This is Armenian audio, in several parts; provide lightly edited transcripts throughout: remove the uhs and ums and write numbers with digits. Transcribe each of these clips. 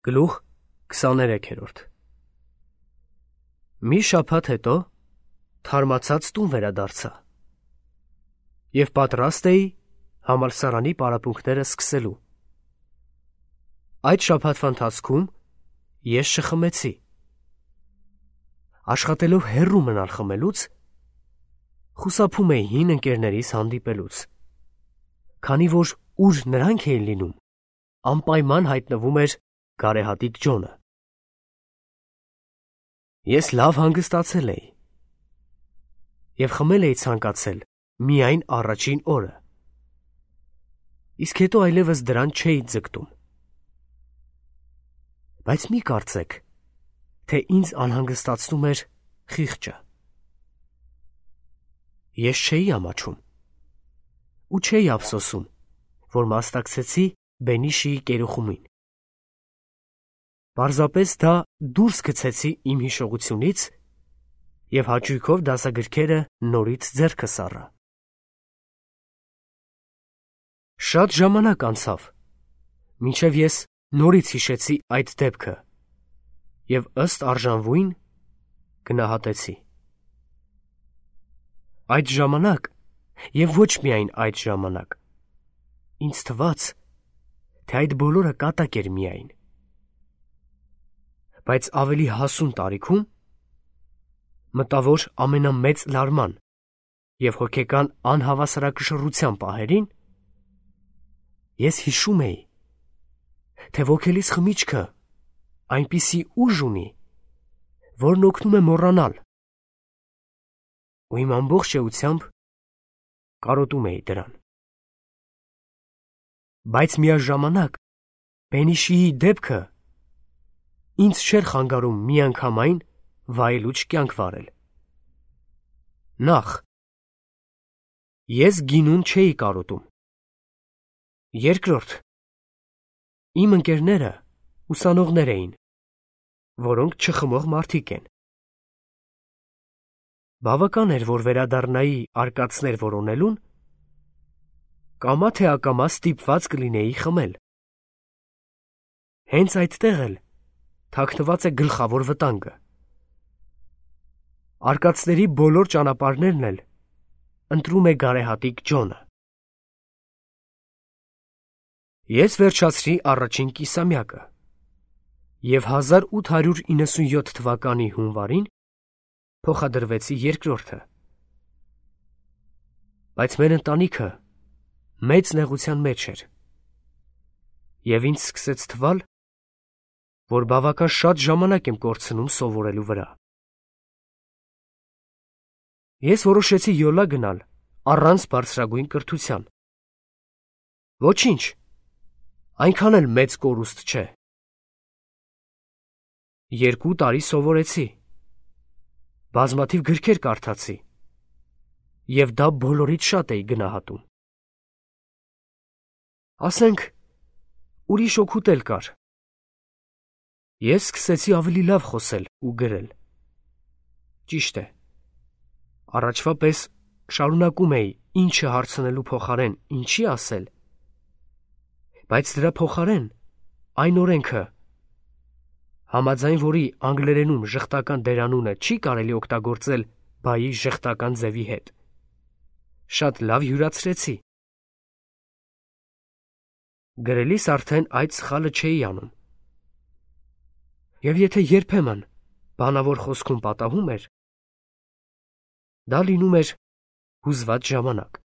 Գլուխ 23-րդ Մի շաբաթ հետո թարմացած տուն վերադարձա և պատրաստ էի համալսարանի պարապմունքները սկսելու։ Այդ շաբաթվա ընթացքում ես չխմեցի։ Աշխատելով հեռու մնալ խմելուց, խուսափում էի հին ընկերներիս հանդիպելուց, քանի որ ուր նրանք էին լինում, անպայման հայտնվում էր գարեհատիկ Ջոնը։ Ես լավ հանգստացել էի և խմել էի ցանկացել միայն առաջին օրը, իսկ հետո այլևս դրան չէի ձգտում։ Բայց մի կարծեք, թե ինձ անհանգստացնում էր խիղճը։ Ես չէի ամաչում ու չէի ափսոսում, որ մասնակցեցի Բենիշիի կերուխումին։ Պարզապես դա դուրս գցեցի իմ հիշողությունից և հաճույքով դասագրքերը նորից ձեռքս առա։ Շատ ժամանակ անցավ, մինչև ես նորից հիշեցի այդ դեպքը և ըստ արժանվույն գնահատեցի։ Այդ ժամանակ և ոչ միայն այդ ժամանակ ինձ թվաց, թե այդ բոլորը կատակ էր միայն, բայց ավելի հասուն տարիքում մտա, որ ամենամեծ լարման և հոգեկան անհավասարակշռության պահերին ես հիշում էի, թե ոգելիս խմիչքը այնպիսի ուժ ունի, որն օգնում է մոռանալ, ու իմ ամբողջ էությամբ կարոտում էի դրան։ Բայց միաժամանակ Բենիշիի դեպքը ինձ չէր խանգարում միանգամայն վայելուչ կյանք վարել։ Նախ, ես գինուն չէի կարոտում։ Երկրորդ, իմ ընկերները ուսանողներ էին, որոնք չխմող մարդիկ են։ Բավական էր, որ վերադառնայի արկածներ որոնելուն, կամա թե ակամա ստիպված կլինեի խմել։ Հենց այդտեղ էլ թաքնված է գլխավոր վտանգը։ Արկածների բոլոր ճանապարհներն էլ ընտրում է գարեհատիկ Ջոնը։ Ես վերջացրի առաջին կիսամյակը և 1897 թվականի հունվարին փոխադրվեցի երկրորդը։ Բայց մեր ընտանիքը մեծ նեղության մեջ էր, և ինձ սկսեց թվալ, որ բավական շատ ժամանակ եմ կորցնում սովորելու վրա։ Ես որոշեցի յոլա գնալ առանց բարձրագույն կրթության։ Ոչինչ, այնքան էլ մեծ կորուստ չէ։ 2 տարի սովորեցի, բազմաթիվ գրքեր կարդացի և դա բոլորից շատ էի գնահատում։ Ասենք, ուրիշ օգուտ էլ կար։ Ես սկսեցի ավելի լավ խոսել ու գրել։ Ճիշտ է, առաջվա պես շարունակում էի ինչը հարցնելու փոխարեն ինչի ասել, բայց դրա փոխարեն այն օրենքը, համաձայն որի անգլերենում ժխտական դերանունը չի կարելի օգտագործել բայի ժխտական ձևի հետ, շատ լավ յուրացրեցի։ Գրելիս արդեն այդ սխալը չէի անում։ Եվ եթե երբեմն բանավոր խոսքում պատահում էր, դա լինում էր հուզված ժամանակ։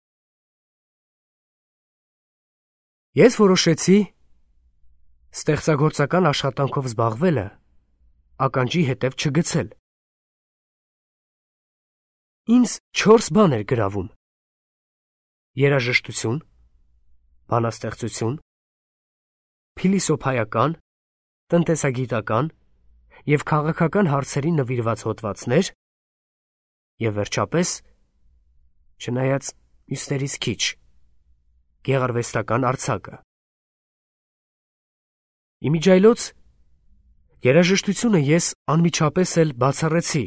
Ես որոշեցի ստեղծագործական աշխատանքով զբաղվելը ականջի հետև չգցել։ Ինձ 4 բան էր գրավում. երաժշտություն, բանաստեղծություն, փիլիսոփայական, տնտեսագիտական և քաղաքական հարցերին նվիրված հոդվածներ և վերջապես, չնայած մյուսներից քիչ, գեղարվեստական արձակը։ Իմիջիայլոց երաժշտությունը ես անմիջապես էլ բացառեցի,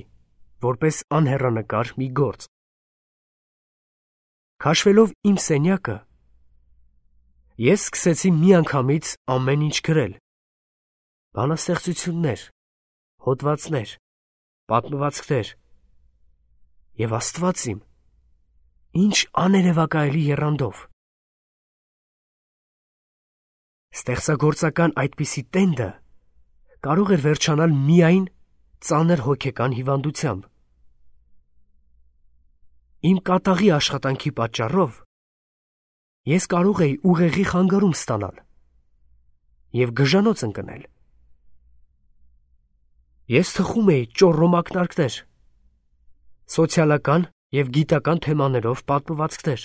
որպես անհեռանկար մի գործ։ Քաշվելով իմ սենյակը, ես սկսեցի միանգամից ամեն ինչ գրել, բանաստեղծություններ, հոդվածներ, պատմվածքներ և Աստված իմ, ինչ աներևակայելի եռանդով։ Ստեղծագործական այդպիսի տենդը կարող էր վերջանալ միայն ծանր հոգեկան հիվանդությամբ։ Իմ կատաղի աշխատանքի պատճառով ես կարող էի ուղեղի խանգարում ստանալ և գժանոց ընկնել։ Ես թխում էի ճոռոմ ակնարկներ, սոցիալական և գիտական թեմաներով պատմվածքներ,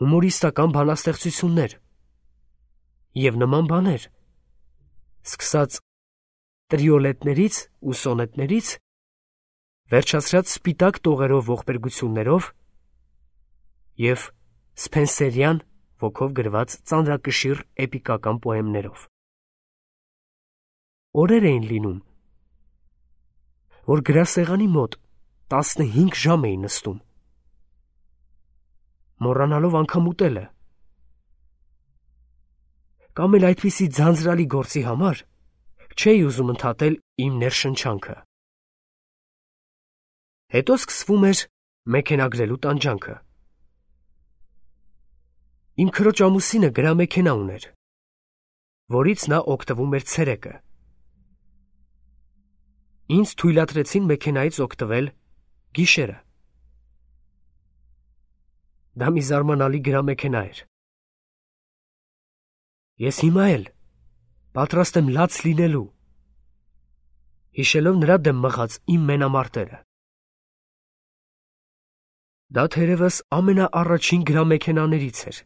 հումորիստական բանաստեղծություններ և նման բաներ, սկսած տրիոլետներից ու սոնետներից, վերջացրած սպիտակ տողերով ողբերգություններով և սփենսերյան ոգով գրված ծանրակշիռ էպիկական պոեմներով։ Օրեր էին լինում, որ գրասեղանի մոտ 15 ժամ էի նստում, մոռանալով անգամ ուտելը, կամ էլ այդպիսի ձանձրալի գործի համար չէի ուզում ընդհատել իմ ներշնչանքը։ Հետո սկսվում էր մեքենագրելու տանջանքը։ Իմ քրոջ ամուսինը գրամեքենա ուներ, որից նա օգտվում էր ցերեկը։ Ինձ թույլատրեցին մեքենայից օգտվել գիշերը։ Դա մի զարմանալի գրամեքենա էր։ Ես հիմա էլ պատրաստ եմ լաց լինելու, հիշելով նրա դեմ մղած իմ մենամարտերը։ Դա թերևս ամենաառաջին գրամեքենաներից էր։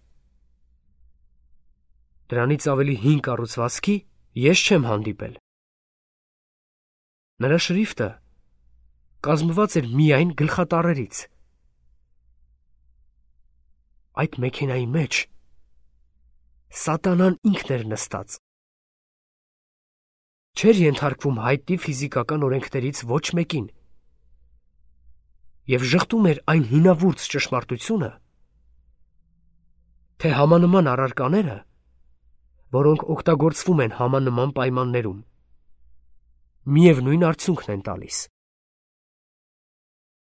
Դրանից ավելի հին կառուցվածքի ես չեմ հանդիպել։ Նրա շրիֆտը կազմված էր միայն գլխատառերից։ Այդ մեքենայի մեջ սատանան ինքն էր նստած։ Չէր ենթարկվում հայտնի ֆիզիկական օրենքներից ոչ մեկին և ժխտում էր այն հինավուրց ճշմարտությունը, թե համանման առարկաները, որոնք օգտագործվում են համանման պայմաններում, միևնույն արդյունքն են տալիս։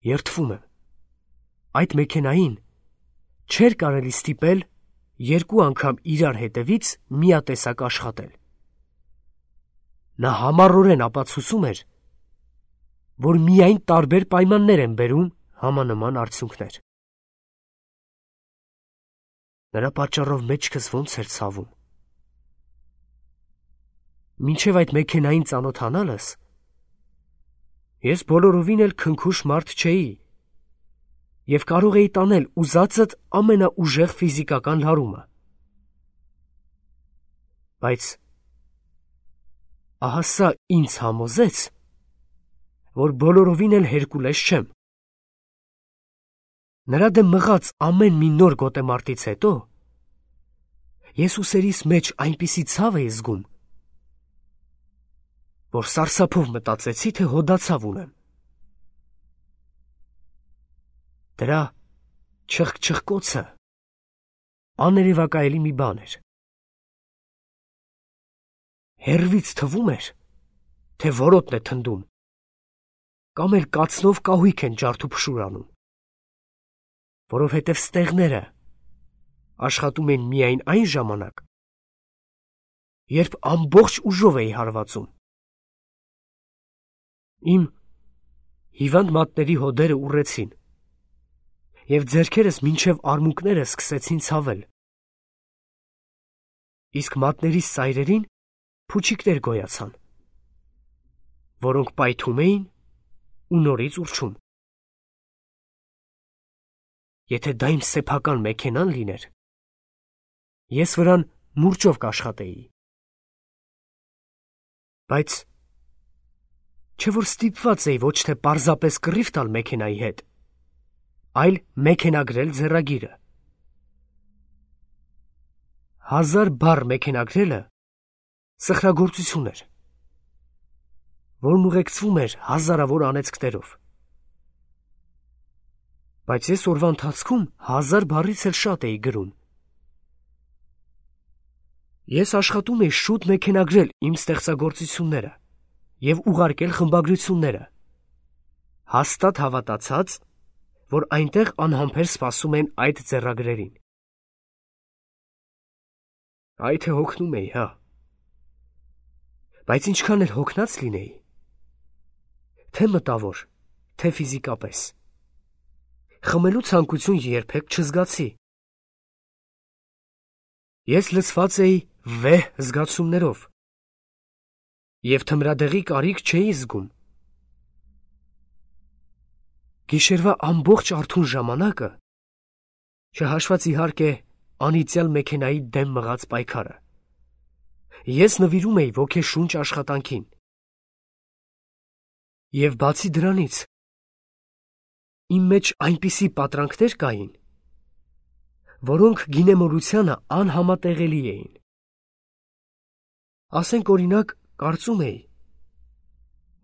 Երդվում եմ, այդ մեքենային չէր կարելի ստիպել երկու անգամ իրար հետևից միատեսակ աշխատել։ Նա համառորեն ապացուցում էր, որ միայն տարբեր պայմաններ են բերում համանման արդյունքներ։ Նրա պատճառով մեջքս ոնց էր ցավում։ Մինչև այդ մեքենային ծանոթանալս, ես բոլորովին էլ քնքուշ մարդ չէի և կարող էի տանել ուզածդ ամենաուժեղ ֆիզիկական լարումը։ Բայց ահա սա ինձ համոզեց, որ բոլորովին էլ Հերկուլես չեմ։ Նրա դեմ մղած ամեն մի նոր գոտեմարտից հետո ես ուսերիս մեջ այնպիսի ցավ էի զգում, որ սարսափով մտածեցի, թե հոդացավ ունեմ։ Դրա չխկչխկոցը աներևակայելի մի բան էր։ Հեռվից թվում էր, թե որոտն է թնդում, կամ էլ կացնով կահույք են ջարդուփշուրանում, որովհետև ստեղները աշխատում են միայն այն ժամանակ, երբ ամբողջ ուժով էի հարվածում։ Իմ հիվանդ մատների հոդերը ուռեցին, և ձեռքերս մինչև արմունկները սկսեցին ցավել, իսկ մատներիս ծայրերին փուչիկներ գոյացան, որոնք պայթում էին ու նորից ուռչում։ Եթե դա իմ սեփական մեքենան լիներ, ես վրան մուրճով կաշխատեի։ Բայց չէ՞ որ ստիպված էի ոչ թե պարզապես կռիվ տալ մեքենայի հետ, այլ մեքենագրել ձեռագիրը։ 1000 բառ մեքենագրելը սխրագործություն էր, որն ուղեկցվում էր հազարավոր անեծքներով։ Բայց ես օրվա ընթացքում 1000 բառից էլ շատ էի գրում։ Ես աշխատում էի շուտ մեքենագրել իմ ստեղծագործությունները և ուղարկել խմբագրությունները, հաստատ հավատացած, որ այնտեղ անհամբեր սպասում են այդ ձեռագրերին։ Այ թե հոգնում էի, հա։ Բայց ինչքան էլ հոգնած լինեի, թե մտավոր, թե ֆիզիկապես, խմելու ցանկություն երբեք չզգացի։ Ես լցված էի վեհ զգացումներով և թմրադեղի կարիք չէի զգում։ Գիշերվա ամբողջ արթուն ժամանակը, չհաշված իհարկե անիծյալ մեքենայի դեմ մղած պայքարը, ես նվիրում էի ոգեշունչ աշխատանքին։ Եվ բացի դրանից, իմ մեջ այնպիսի պատրանքներ կային, որոնք գինեմորությանը անհամատեղելի էին։ Ասենք օրինակ, կարծում էի,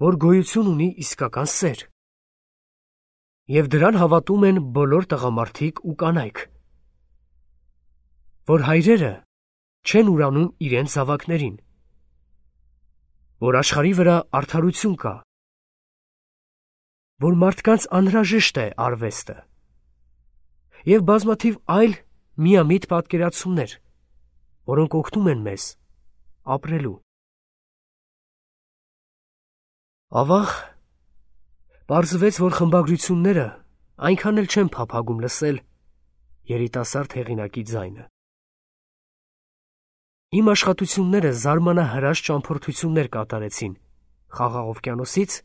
որ գոյություն ունի իսկական սեր, և դրան հավատում են բոլոր տղամարդիկ ու կանայք, որ հայրերը չեն ուրանում իրենց զավակներին, որ աշխարհի վրա արդարություն կա, որ մարդկանց անհրաժեշտ է արվեստը և բազմաթիվ այլ միամիտ պատկերացումներ, որոնք օգնում են մեզ ապրելու։ Ավաղ պարզվեց, որ խմբագրությունները այնքան էլ չեն փափագում լսել երիտասարդ հեղինակի ձայնը։ Իմ աշխատությունները զարմանահրաշ ճամփորդություններ կատարեցին Խաղաղ օվկիանոսից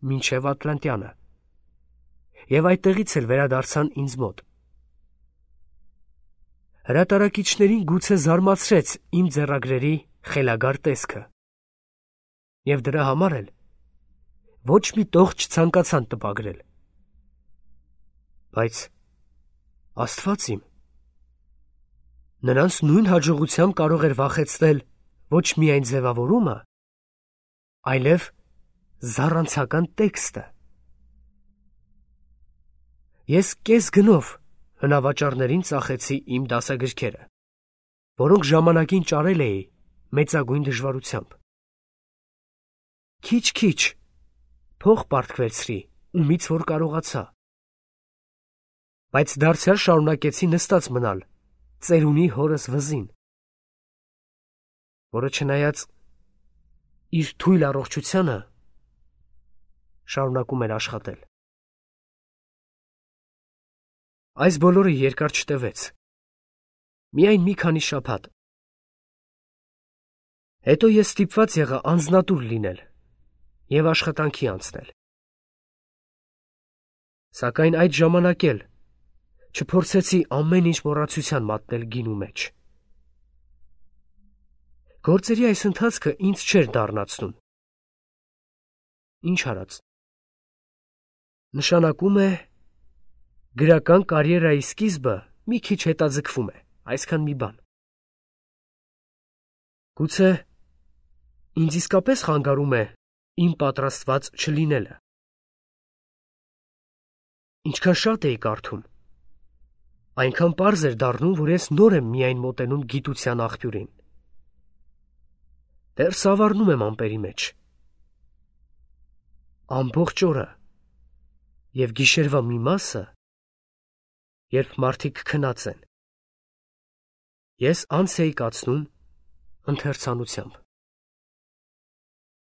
մինչև Ատլանտյանը, և այդտեղից էլ վերադարձան ինձ մոտ։ Հրատարակիչներին գուցե զարմացրեց իմ ձեռագրերի խելագար տեսքը, և դրա համար էլ ոչ մի տող չցանկացան տպագրել։ Բայց Աստված իմ, նրանց նույն հաջողությամբ կարող էր վախեցնել ոչ միայն ձևավորումը, այլև զառանցական տեքստը։ Ես կես գնով հնավաճառներին ծախեցի իմ դասագրքերը, որոնք ժամանակին ճարել էի մեծագույն դժվարությամբ։ Քիչ-քիչ փող պարտվեցրի, ումից որ կարողացա, բայց դարձյալ շարունակեցի նստած մնալ ծերունի հորս վզին, որը չնայած իր թույլ առողջությանը շարունակում էր աշխատել։ Այս բոլորը երկար չտևեց, միայն մի քանի շաբաթ։ Հետո ես ստիպված եղա անձնատուր լինել և աշխատանքի անցնել։ Սակայն այդ ժամանակ էլ չփորձեցի ամեն ինչ մոռացության մատնել գինու մեջ։ Գործերի այս ընթացքը ինձ չէր դառնացնում։ Ինչ արած։ Նշանակում է, գրական կարիերայի սկիզբը մի քիչ հետաձգվում է, այսքան մի բան։ Գուցե ինձ իսկապես խանգարում է իմ պատրաստված չլինելը։ Ինչքան շատ էի կարդում, այնքան պարզ էր դառնում, որ ես նոր եմ միայն մոտենում գիտության աղբյուրին։ Դեռ սավառնում եմ ամպերի մեջ։ Ամբողջ օրը և գիշերվա մի մասը, երբ մարդիկ քնած են, ես անց էի կացնում ընթերցանությամբ։